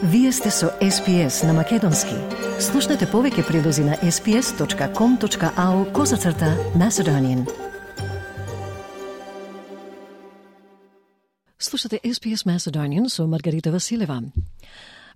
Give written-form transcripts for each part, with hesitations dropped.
Вие сте со SPS на Македонски. Слушнете повеќе прилози на sps.com.au/Macedonian. Слушате SPS Macedonian со Маргарита Василева.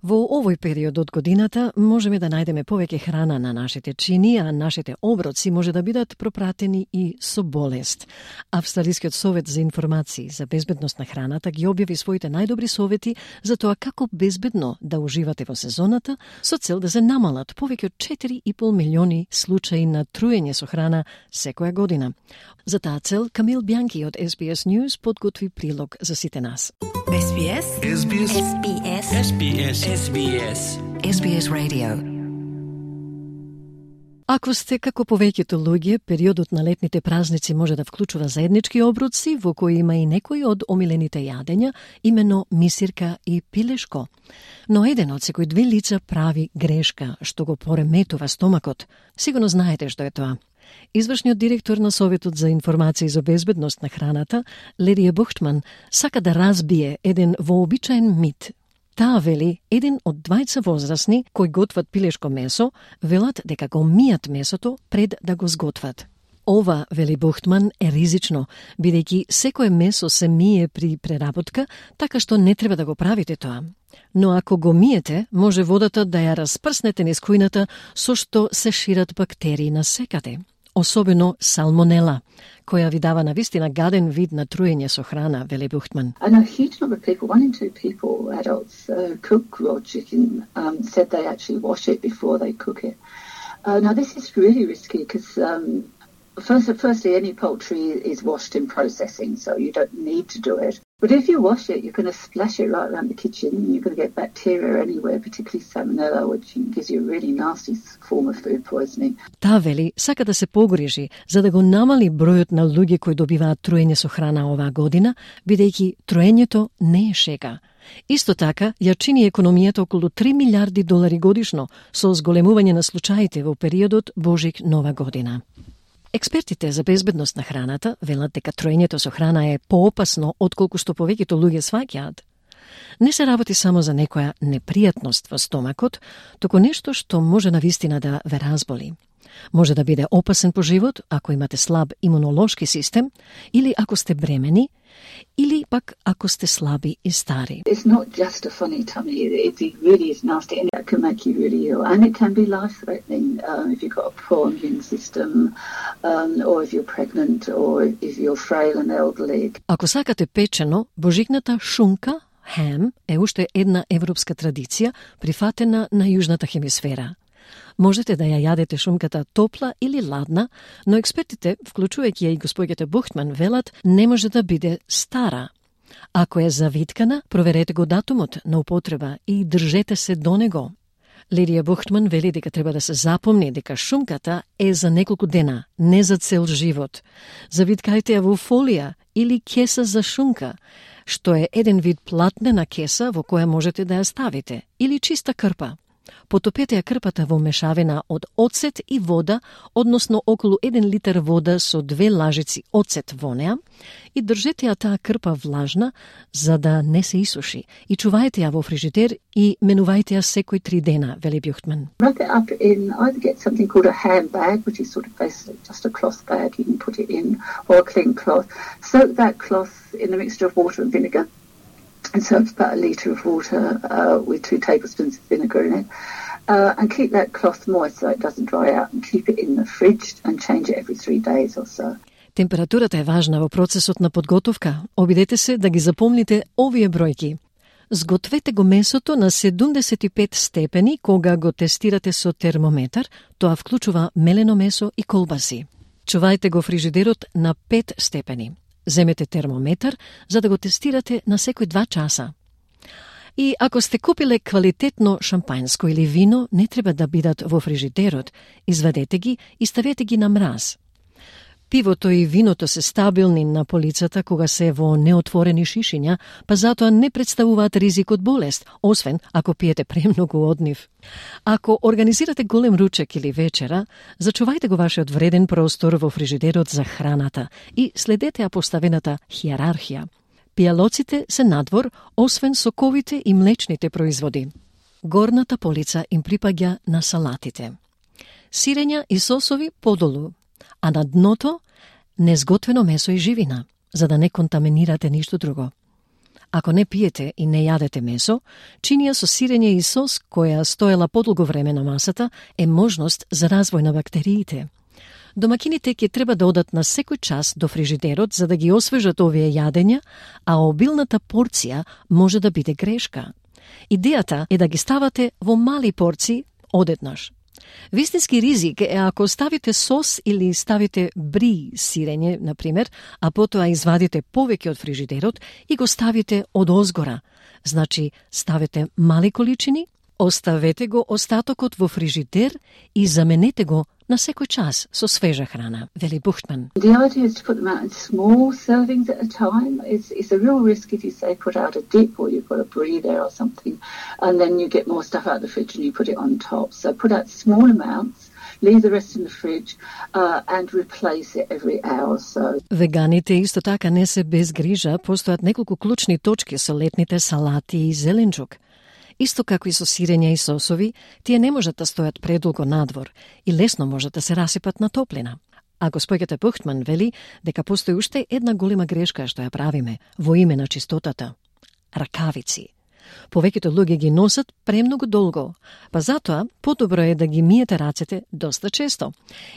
Во овој период од годината можеме да најдеме повеќе храна на нашите чини, а нашите оброци може да бидат пропратени и со болест. Австралискиот совет за информации за безбедност на храната ги објави своите најдобри совети за тоа како безбедно да уживате во сезоната, со цел да се намалат повеќе од 4,5 милиони случаи на труење со храна секоја година. За таа цел, Камил Бјанки од SBS News подготви прилог за сите нас. SBS SBS SBS SBS SBS SBS Radio. Ако сте како повеќето луѓе, периодот на летните празници може да вклучува заеднички обруци, во кои има и некои од омилените јадења, имено мисирка и пилешко. Но еден од секој две лица прави грешка, што го пореметува стомакот. Сигурно знаете што е тоа. Извршниот директор на Советот за информации за безбедност на храната, Лидија Бухтман, сака да разбие еден вообичаен мит. Таа вели, еден од двајца возрастни кои готват пилешко месо, велат дека го мијат месото пред да го сготват. Ова, вели Бухтман, е ризично, бидејќи секое месо се мие при преработка, така што не треба да го правите тоа. Но ако го миете, може водата да ја распрснете низ кујната, со што се шират бактерии на секаде. Особено салмонела, која ви дава навистина гаден вид на труење со храна, вели Бухтман. I know a huge number of people, 1 in 2 people, adults, cook raw chicken, said they actually wash it before they cook it. Now this is really risky because firstly, any poultry is washed in processing, so you don't need to do it. But if you wash it, you're going to splash it right around the kitchen. You're going to get bacteria anywhere, particularly salmonella, which gives you a really nasty form of food poisoning. Таа вели, сака да се погрижи за да го намали бројот на луѓе кои добиваат труење со храна оваа година, бидејќи труењето не е шега. Исто така, ја чини економијата околу $3 милиарди годишно со зголемување на случаите во периодот Божик-Нова година. Експертите за безбедност на храната велат дека труењето со храна е поопасно отколку што повеќето луѓе сваќаат. Не се работи само за некоја непријатност во стомакот, туку нешто што може навистина да ве разболи. Може да биде опасен по живот ако имате слаб имунолошки систем, или ако сте бремени, или пак ако сте слаби и стари. It's not just a funny tummy, it really is nasty and it can make you really ill and it can be life-threatening if you've got a poor immune system or if you're pregnant or if you're frail and elderly. Ако сакате печено, божикната шунка, хем, е уште една европска традиција прифатена на јужната хемисфера. Можете да ја јадете шунката топла или ладна, но експертите, вклучувајќи ја и господјата Бухтман, велат не може да биде стара. Ако е завиткана, проверете го датумот на употреба и држете се до него. Лидија Бухтман вели дека треба да се запомни дека шунката е за неколку дена, не за цел живот. Завиткајте ја во фолија или кеса за шунка, што е еден вид платнена кеса во која можете да ја ставите, или чиста крпа. Потопете ја крпата во мешавина од оцет и вода, односно околу 1 литар вода со 2 лажици оцет во неа и држете ја таа крпа влажна за да не се исуши и чувајте ја во фрижидер и менувајте ја секој 3 дена, вели Бухтман. Wrap it up in, either get something called a hand bag, which is sort of basically just a cloth bag you can put it in, or a clean cloth. Soak that cloth in a mixture of water and vinegar. And so it's about 1 litre of water with 2 tablespoons of vinegar in it. And keep that cloth moist so it doesn't dry out and keep it in the fridge and change it every 3 days or so. Температурата е важна во процесот на подготовка. Обидете се да ги запомните овие бројки. Сгответе го месото на 75 степени кога го тестирате со термометар, тоа вклучува мелено месо и колбаси. Чувајте го фрижидерот на 5 степени. Земете термометар за да го тестирате на секој 2 часа. И ако сте купиле квалитетно шампањско или вино, не треба да бидат во фрижидерот. Извадете ги и ставете ги на мраз. Пивото и виното се стабилни на полицата кога се во неотворени шишиња, па затоа не представуваат ризик од болест, освен ако пиете премногу од нив. Ако организирате голем ручек или вечера, зачувајте го вашиот вреден простор во фрижидерот за храната и следете ја поставената хиерархија. Пијалоците се надвор, освен соковите и млечните производи. горната полица им припаѓа на салатите. Сирења и сосови подолу, а на дното незготвено месо и живина, за да не контаминирате ништо друго. Ако не пиете и не јадете месо, чинија со сирење и сос која стоела подолго време на масата е можност за развој на бактериите. Домакините ќе треба да одат на секој час до фрижидерот за да ги освежат овие јадења, а обилната порција може да биде грешка. Идејата е да ги ставате во мали порции одеднаш. Вистински ризик е ако ставите сос или ставите бри сирење, например, а потоа извадите повеќе од фрижидерот и го ставите од озгора. Значи, ставете мали количини, оставете го остатокот во фрижидер и заменете го на секој час со свежа храна, вели Бухтман. The idea is to put them out in small servings at a time. It's a real risk if you say put out a dip or you've got a brie there or something, and then you get more stuff out of the fridge and you put it on top. So put out small amounts, leave the rest in the fridge, and replace it every hour or so. Веганите исто така не се без грижа, постојат неколку клучни точки со летните салати и зеленчук. Исто како и со сирења и сосови, тие не можат да стојат предолго надвор и лесно можат да се расипат на топлина. А госпоѓата Бухтман вели дека постои уште една голема грешка што ја правиме во име на чистотата. Ракавици. Повеќето луѓе ги носат премногу долго, па затоа подобро е да ги миете рацете доста често.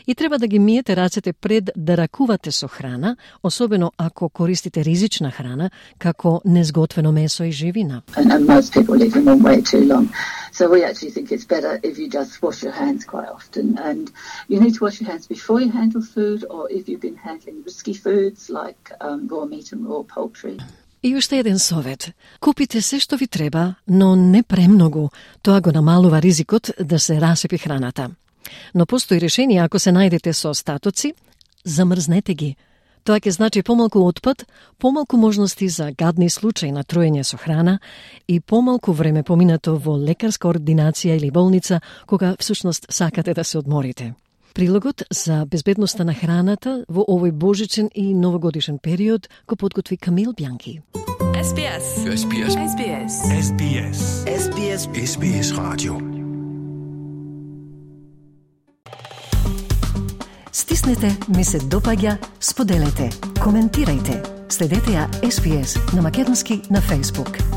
И треба да ги миете рацете пред да ракувате со храна, особено ако користите ризична храна, како незготвено месо и живина. And most people leave them on way too long. So we actually think it's better if you just wash your hands quite often. And you need to wash your hands before you handle food or if you've been handling risky foods like raw meat and raw poultry. И уште еден совет. Купите се што ви треба, но не премногу. Тоа го намалува ризикот да се расипи храната. Но постои решение ако се најдете со остатоци, замрзнете ги. Тоа ќе значи помалку отпад, помалку можности за гадни случаи на труење со храна и помалку време поминато во лекарска ординација или болница, кога всушност сакате да се одморите. Прилогот за безбедноста на храната во овој божичен и новогодишен период го подготви Камил Бјанки. SBS. SBS. SBS. SBS. SBS. SBS Radio. Стиснете, ми се допаѓа, споделете, коментирајте. Следете ја SBS на македонски на Facebook.